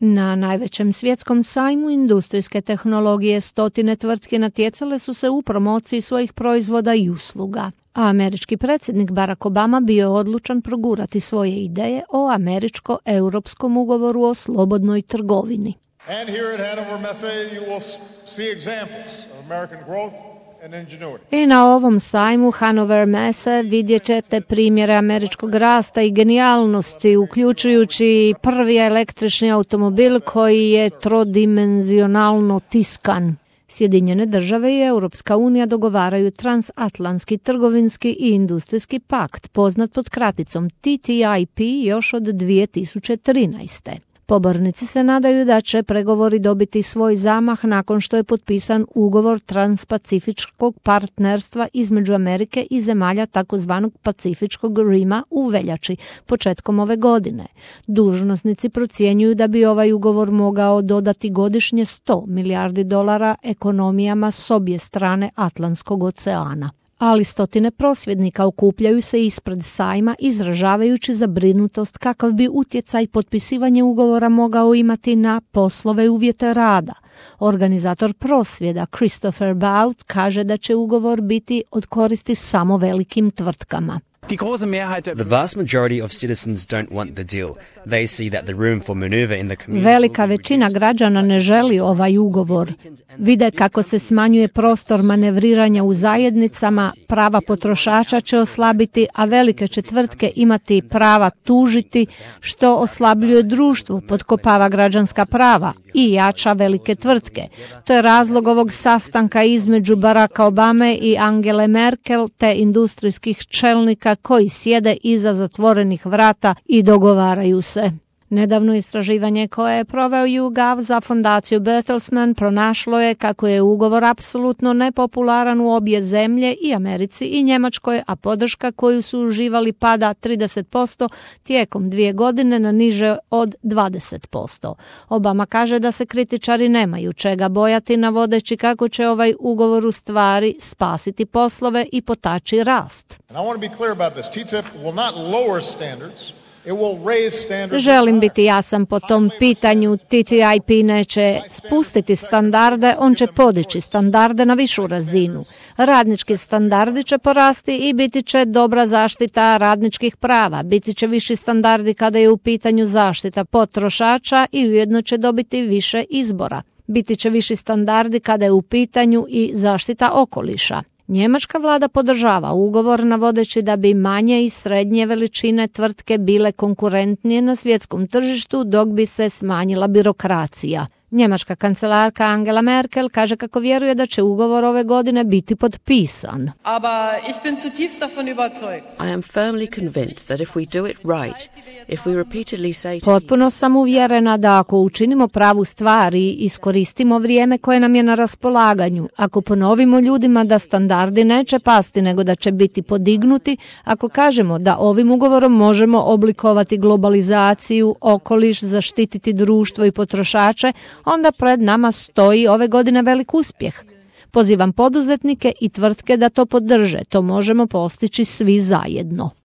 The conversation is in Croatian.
Na najvećem svjetskom sajmu industrijske tehnologije stotine tvrtke natjecale su se u promociji svojih proizvoda i usluga, a američki predsjednik Barack Obama bio je odlučan progurati svoje ideje o američko-europskom ugovoru o slobodnoj trgovini. And here at Hannover Messe you will see examples of American growth. I na ovom sajmu Hannover Messe vidjet ćete primjere američkog rasta i genijalnosti, uključujući prvi električni automobil koji je trodimenzionalno tiskan. Sjedinjene države i Europska unija dogovaraju transatlantski trgovinski i industrijski pakt, poznat pod kraticom TTIP još od 2013. Pobornici se nadaju da će pregovori dobiti svoj zamah nakon što je potpisan ugovor transpacifičkog partnerstva između Amerike i zemalja takozvanog Pacifičkog Rima u veljači, početkom ove godine. Dužnosnici procjenjuju da bi ovaj ugovor mogao dodati godišnje $100 milijardi ekonomijama s obje strane Atlantskog oceana. Ali stotine prosvjednika okupljaju se ispred sajma izražavajući zabrinutost kakav bi utjecaj potpisivanje ugovora mogao imati na poslove i uvjete rada. Organizator prosvjeda Christopher Bout kaže da će ugovor biti od koristi samo velikim tvrtkama. The vast majority of citizens don't want the deal. They see that the room for maneuver in the community. Velika većina građana ne želi ovaj ugovor. Vide kako se smanjuje prostor manevriranja u zajednicama, prava potrošača će oslabiti, a velike će tvrtke imati prava tužiti, što oslabljuje društvo, potkopava građanska prava i jača velike tvrtke. To je razlog ovog sastanka između Baracka Obame i Angele Merkel te industrijskih čelnika koji sjede iza zatvorenih vrata i dogovaraju se. Nedavno istraživanje koje je proveo YouGov za fondaciju Bertelsmann pronašlo je kako je ugovor apsolutno nepopularan u obje zemlje, i Americi i Njemačkoj, a podrška koju su uživali pada 30% tijekom 2 godine na niže od 20%. Obama kaže da se kritičari nemaju čega bojati, navodeći kako će ovaj ugovor u stvari spasiti poslove i potaći rast. Želim biti jasan po tom pitanju. TTIP neće spustiti standarde, on će podići standarde na višu razinu. Radnički standardi će porasti i biti će dobra zaštita radničkih prava. Biti će viši standardi kada je u pitanju zaštita potrošača i ujedno će dobiti više izbora. Biti će viši standardi kada je u pitanju i zaštita okoliša. Njemačka vlada podržava ugovor navodeći da bi manje i srednje veličine tvrtke bile konkurentnije na svjetskom tržištu dok bi se smanjila birokracija. Njemačka kancelarka Angela Merkel kaže kako vjeruje da će ugovor ove godine biti potpisan. Potpuno sam uvjerena da ako učinimo pravu stvar i iskoristimo vrijeme koje nam je na raspolaganju, ako ponovimo ljudima da standardi neće pasti nego da će biti podignuti, ako kažemo da ovim ugovorom možemo oblikovati globalizaciju, okoliš, zaštititi društvo i potrošače, onda pred nama stoji ove godine velik uspjeh. Pozivam poduzetnike i tvrtke da to podrže. To možemo postići svi zajedno.